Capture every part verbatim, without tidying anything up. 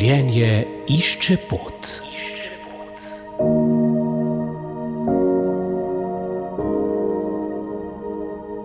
Življenje išče pot.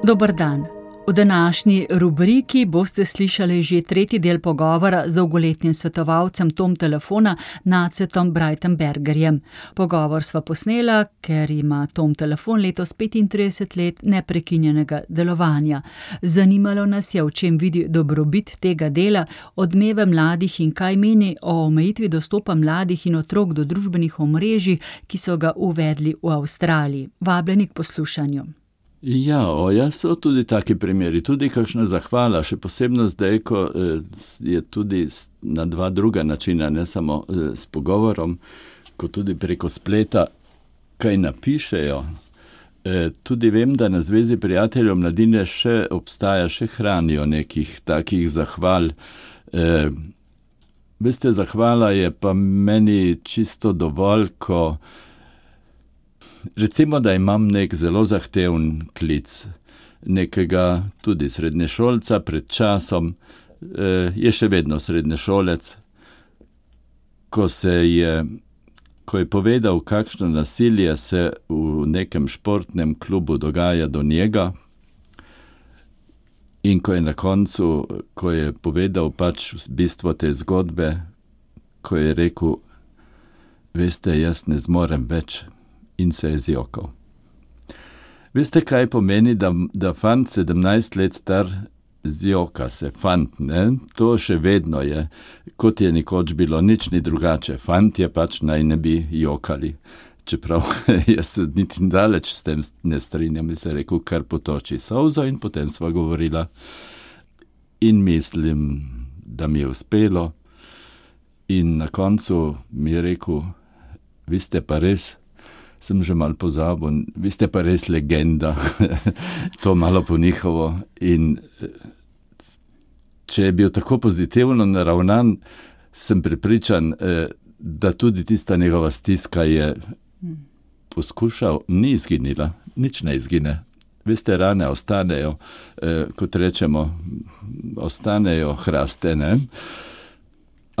Dober dan. V današnji rubriki boste slišali že tretji del pogovora z dolgoletnim svetovalcem Tom telefona Nacetom Breitenbergerjem. Pogovor sva posnela, ker ima Tom telefon letos petintrideset let neprekinjenega delovanja. Zanimalo nas je, v čem vidi dobrobit tega dela, odmeve mladih in kaj meni o omejitvi dostopa mladih in otrok do družbenih omrežij, ki so ga uvedli v Avstraliji. Vabljeni k poslušanju. Ja, oja, so tudi taki primeri, tudi kakšna zahvala, še posebno zdaj, ko je tudi na dva druga načina, ne samo s pogovorom, ko tudi preko spleta kaj napišejo. Tudi vem, da na Zvezi prijateljev mladine še obstaja, še hranijo nekih takih zahval. Veste, zahvala je pa meni čisto dovolj, ko recimo, da imam nek zelo zahteven klic, nekega tudi srednješolca pred časom, je še vedno srednješolec, ko se je, ko je povedal, kakšno nasilje se v nekem športnem klubu dogaja do njega, in ko je na koncu, ko je povedal pač bistvo te zgodbe, ko je rekel, veste, jaz ne zmorem več, in se je zjokal. Veste, kaj pomeni, da, da fant sedemnajst let star zjoka se, fant, ne? To še vedno je, kot je nekoč bilo, nič ni drugače. Fant je pač naj ne bi jokali. Čeprav jaz se niti daleč s tem ne strinjam, in se rekel, kar potoči solzo, in potem sva govorila. In mislim, da mi je uspelo. In na koncu mi je rekel, vi ste pa res, sem že malo pozabil, vi ste pa res legenda, to malo po njihovo. In če je bil tako pozitivno naravnan, sem prepričan, da tudi tista njegova stiska je poskušal, ni izginila, nič ne izgine. Veste, rane ostanejo, kot rečemo, ostanejo hraste, ne?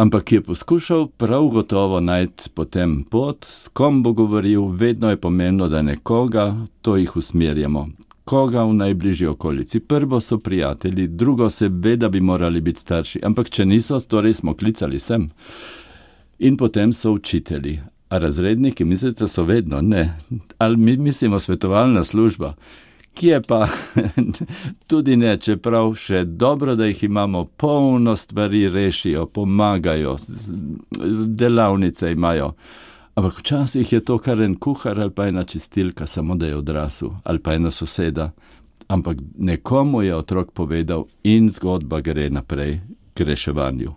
Ampak je poskušal prav gotovo najti potem pot, s kom bo govoril, vedno je pomembno, da nekoga, to jih usmerjamo. Koga v najbližji okolici? Prvo so prijatelji, drugo se ve, da bi morali biti starši, ampak če niso, torej smo klicali sem. In potem so učitelji. A razredniki, mislite, so vedno? Ne. Ali mi mislimo svetovalna služba? Kje pa tudi ne, čeprav še dobro, da jih imamo, polno stvari rešijo, pomagajo, delavnice imajo. Ampak včasih je to kar en kuhar ali pa ena čistilka, samo da je odrasel, ali pa ena soseda. Ampak nekomu je otrok povedal in zgodba gre naprej k reševanju.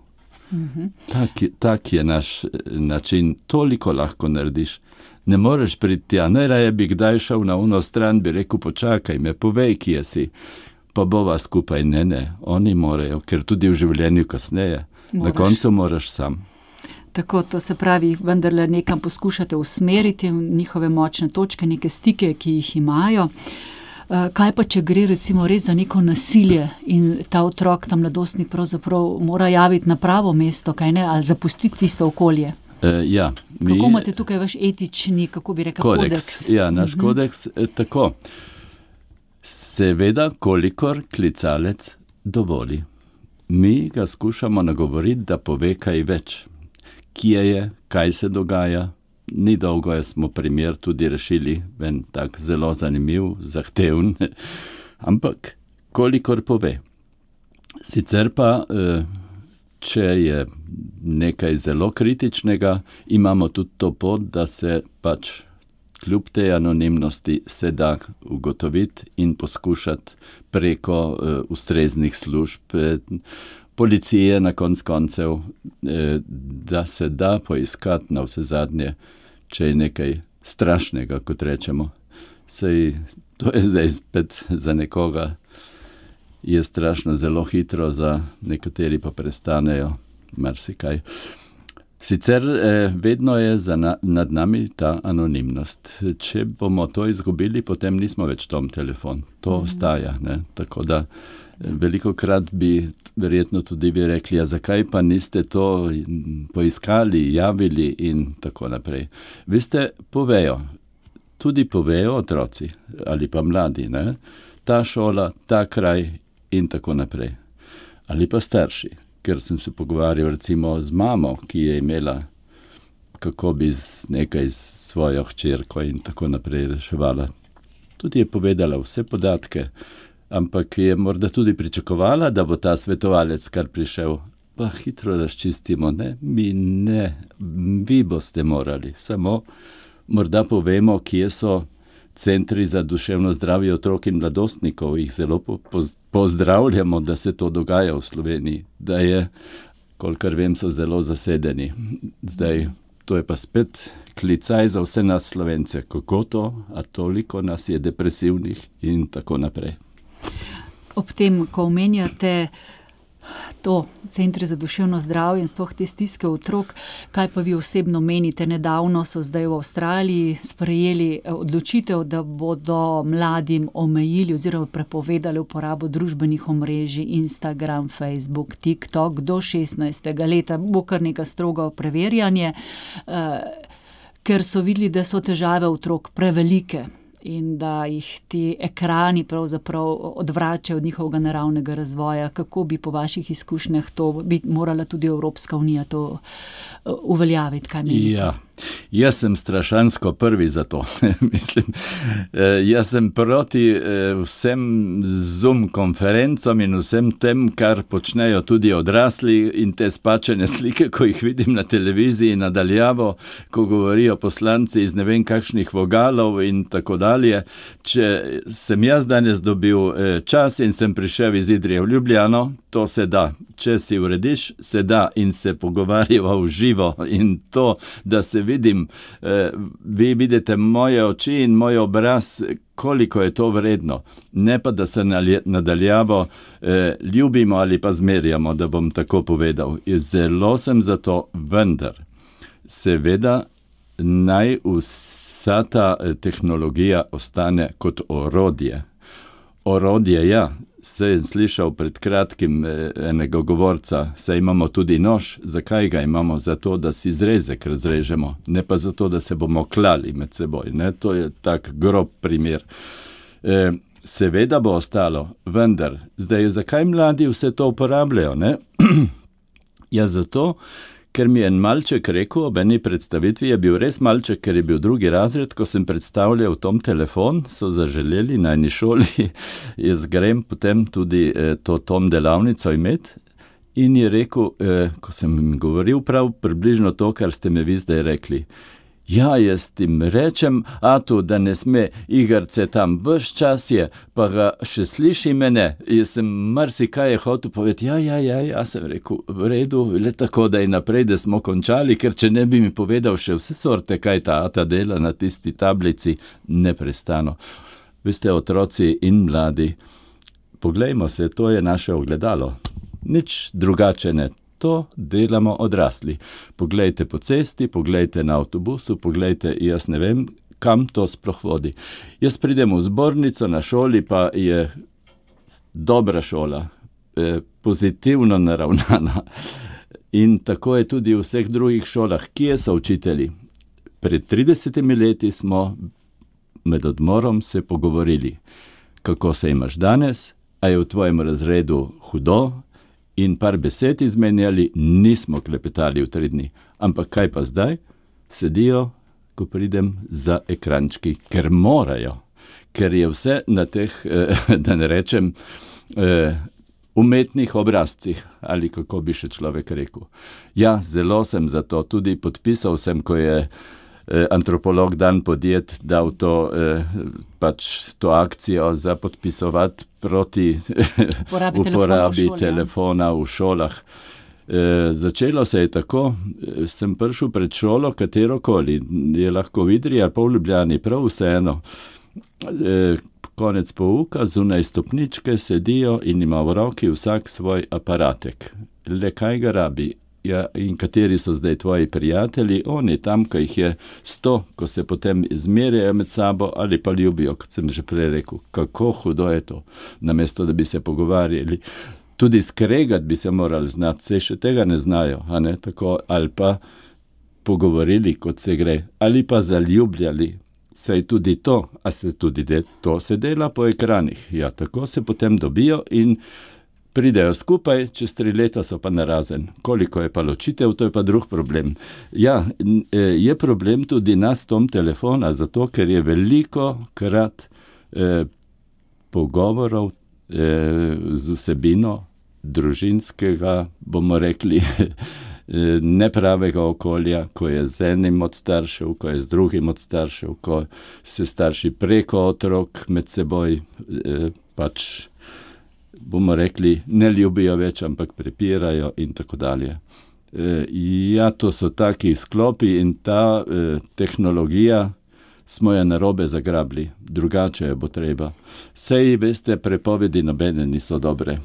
Mm-hmm. Tak, tak je naš način, toliko lahko narediš. Ne moreš priti tja, najraje bi kdaj šel na uno stran, bi rekel, počakaj me, povej, kje si, pa bova skupaj, ne, ne, oni morajo, ker tudi v življenju kasneje, moraš. Na koncu moraš sam. Tako, to se pravi, vendarle nekam poskušate usmeriti njihove močne točke, neke stike, ki jih imajo. Kaj pa, če gre recimo res za neko nasilje in ta otrok, ta mladostnik pravzaprav mora javiti na pravo mesto, kaj ne, ali zapustiti tisto okolje? Uh, ja, mi, kako imate tukaj vaš etični, kako bi rekel, kodeks? kodeks? Ja, naš uh-huh. kodeks, eh, tako. Seveda, kolikor klicalec dovoli. Mi ga skušamo nagovoriti, da pove kaj več. Kje je, kaj se dogaja. Ni dolgo, smo primer tudi rešili, ven tak zelo zanimiv, zahteven, ampak kolikor pove. Sicer pa, eh, če je nekaj zelo kritičnega, imamo tudi to pot, da se pač kljub tej anonimnosti se da ugotoviti in poskušati preko uh, ustreznih služb, eh, policije na konc koncev, eh, da se da poiskati na vse zadnje, če je nekaj strašnega, kot rečemo. Sej, to je zdaj spet za nekoga, je strašno zelo hitro, za nekateri pa prestanejo marsikaj. Sicer eh, vedno je za na, nad nami ta anonimnost. Če bomo to izgubili, potem nismo več Tom telefon. To mm. ostaja, ne? Tako da Velikokrat bi verjetno tudi vi rekli, ja, zakaj pa niste to poiskali, javili in tako naprej. Veste, povejo, tudi povejo otroci ali pa mladi, ne? Ta šola, ta kraj in tako naprej. Ali pa starši, ker sem se pogovarjal recimo z mamo, ki je imela, kako bi z nekaj svojo hčerko in tako naprej reševala. Tudi je povedala vse podatke, ampak je morda tudi pričakovala, da bo ta svetovalec kar prišel. Pa hitro razčistimo, ne, mi ne, vi boste morali. Samo morda povemo, kje so centri za duševno zdravje otrok in mladostnikov. Jih zelo po, poz, pozdravljamo, da se to dogaja v Sloveniji. Da je, kolikor vem, so zelo zasedeni. Zdaj, to je pa spet klicaj za vse nas Slovence. Kako to, a toliko nas je depresivnih in tako naprej. Ob tem, ko omenjate to, centri za duševno zdravje in sploh te stiske otrok, kaj pa vi osebno menite? Nedavno so zdaj v Avstraliji sprejeli odločitev, da bodo mladim omejili oziroma prepovedali uporabo družbenih omrežij Instagram, Facebook, TikTok do šestnajstega leta. Bo kar neka strogo preverjanje, eh, ker so videli, da so težave otrok prevelike in da jih ti ekrani pravzaprav odvračajo od njihovega naravnega razvoja. Kako bi po vaših izkušnjah to, bi morala tudi Evropska unija to uveljaviti, kaj menite? Ja, jaz sem strašansko prvi za to. Mislim, jaz sem proti vsem Zoom konferencam in vsem tem, kar počnejo tudi odrasli in te spačene slike, ko jih vidim na televiziji nadaljavo, ko govorijo poslanci iz ne vem kakšnih vogalov in tako dalje. Če sem jaz danes dobil čas in sem prišel iz Idrije v Ljubljano, to se da. Če si urediš, se da in se pogovarjava v živo in to, da se vidim, eh, vi vidite moje oči in moj obraz, koliko je to vredno. Ne pa, da se nadaljavo eh, ljubimo ali pa zmerjamo, da bom tako povedal. Zelo sem za to, vendar seveda naj vsa ta tehnologija ostane kot orodje. Orodje, ja. Sem slišal pred kratkim enega govorca, saj imamo tudi nož. Zakaj ga imamo? Zato, da si zrezek razrežemo, ne pa zato, da se bomo klali med seboj. Ne? To je tak grob primer. E, seveda bo ostalo, vendar, zdaj, zakaj mladi vse to uporabljajo? Ne? Ja, zato, ker mi je en malček rekel, ob eni predstavitvi je bil res malček, ker je bil drugi razred, ko sem predstavljal tom telefon, so zaželeli na eni šoli, jaz grem potem tudi eh, to tom delavnico imeti in je rekel, eh, ko sem jim govoril prav približno to, kar ste me vi zdaj rekli. Ja, jaz tim rečem, Atu, da ne sme igrce tam, ves čas je, pa ga še sliši mene. Jaz sem marsikaj je hotel povedati, ja, ja, ja, ja, sem rekel, v redu, le tako, da je naprej, da smo končali, ker če ne bi mi povedal še vse sorte, kaj ta Ata dela na tisti tablici, neprestano. Veste, otroci in mladi, poglejmo se, to je naše ogledalo. Nič drugače ne. To delamo odrasli. Poglejte po cesti, poglejte na avtobusu, poglejte, jaz ne vem, kam to sploh vodi. Jaz pridem v zbornico na šoli, pa je dobra šola, eh, pozitivno naravnana. In tako je tudi v vseh drugih šolah. Kje so učitelji? Pred tridesetimi leti smo med odmorom se pogovorili, kako se imaš danes, a je v tvojem razredu hudo, in par besed izmenjali, nismo klepetali v tri dni. Ampak kaj pa zdaj? Sedijo, ko pridem za ekrančki, ker morajo, ker je vse na teh, eh, da ne rečem, eh, umetnih obrazcih, ali kako bi še človek rekel. Ja, zelo sem za to, tudi podpisal sem, ko je eh, antropolog Dan Podjet dal to, eh, pač to akcijo za podpisovati proti uporabi, uporabi telefona, v telefona v šolah. E, začelo se je tako, sem prišel pred šolo, katerokoli, je lahko v Idriji ali pa v Ljubljani, prav vseeno. E, konec pouka, zunaj stopničke sedijo in ima v roki vsak svoj aparatek. Le kaj ga rabi? ja, in kateri so zdaj tvoji prijatelji, oni tam, ko jih je sto, ko se potem izmerjajo med sabo ali pa ljubijo, kot sem že prej rekel, kako hudo je to, namesto da bi se pogovarjali. Tudi skregati bi se morali znati, se še tega ne znajo, a ne, tako, ali pa pogovorili, kot se gre, ali pa zaljubljali. Saj tudi to, a se tudi de, to se dela po ekranih. Ja, tako se potem dobijo in pridejo skupaj, čez tri leta so pa narazen. Koliko je pa ločitev, to je pa drug problem. Ja, je problem tudi nas tom telefona, zato ker je veliko krat eh, pogovorov eh, z vsebino družinskega, bomo rekli, nepravega okolja, ko je z enim od staršev, ko je z drugim od staršev, ko se starši preko otrok med seboj eh, pač, bomo rekli, ne ljubijo več, ampak prepirajo in tako dalje. Eh, ja, to so taki sklopi in ta eh, tehnologija smo jo narobe zagrabili, drugače jo bo treba. Sej, veste, prepovedi nobene niso dobre.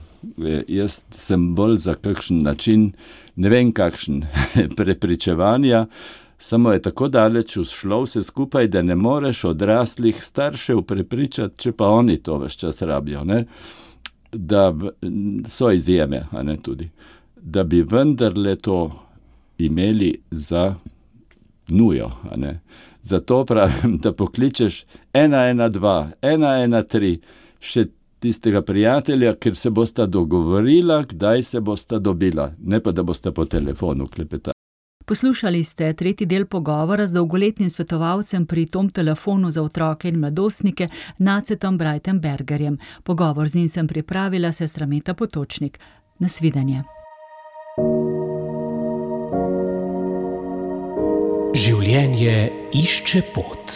E, jaz sem bolj za kakšen način, ne vem kakšen, prepričevanja, samo je tako daleč ušlo vse skupaj, da ne moreš odraslih staršev prepričati, če pa oni to ves čas rabijo, ne? Da so izjeme, a ne tudi, da bi vendarle to imeli za nujo, a ne. Zato pravim, da pokličeš ena ena dva, ena ena tri, še tistega prijatelja, ker se bosta dogovorila, kdaj se bosta dobila, ne pa da bosta po telefonu klepetali. Poslušali ste tretji del pogovora z dolgoletnim svetovalcem pri Tom telefonu za otroke in mladostnike Nacetom Breitenbergerjem. Pogovor z njim sem pripravila sestra Meta Potočnik. Nasvidenje. Življenje išče pot.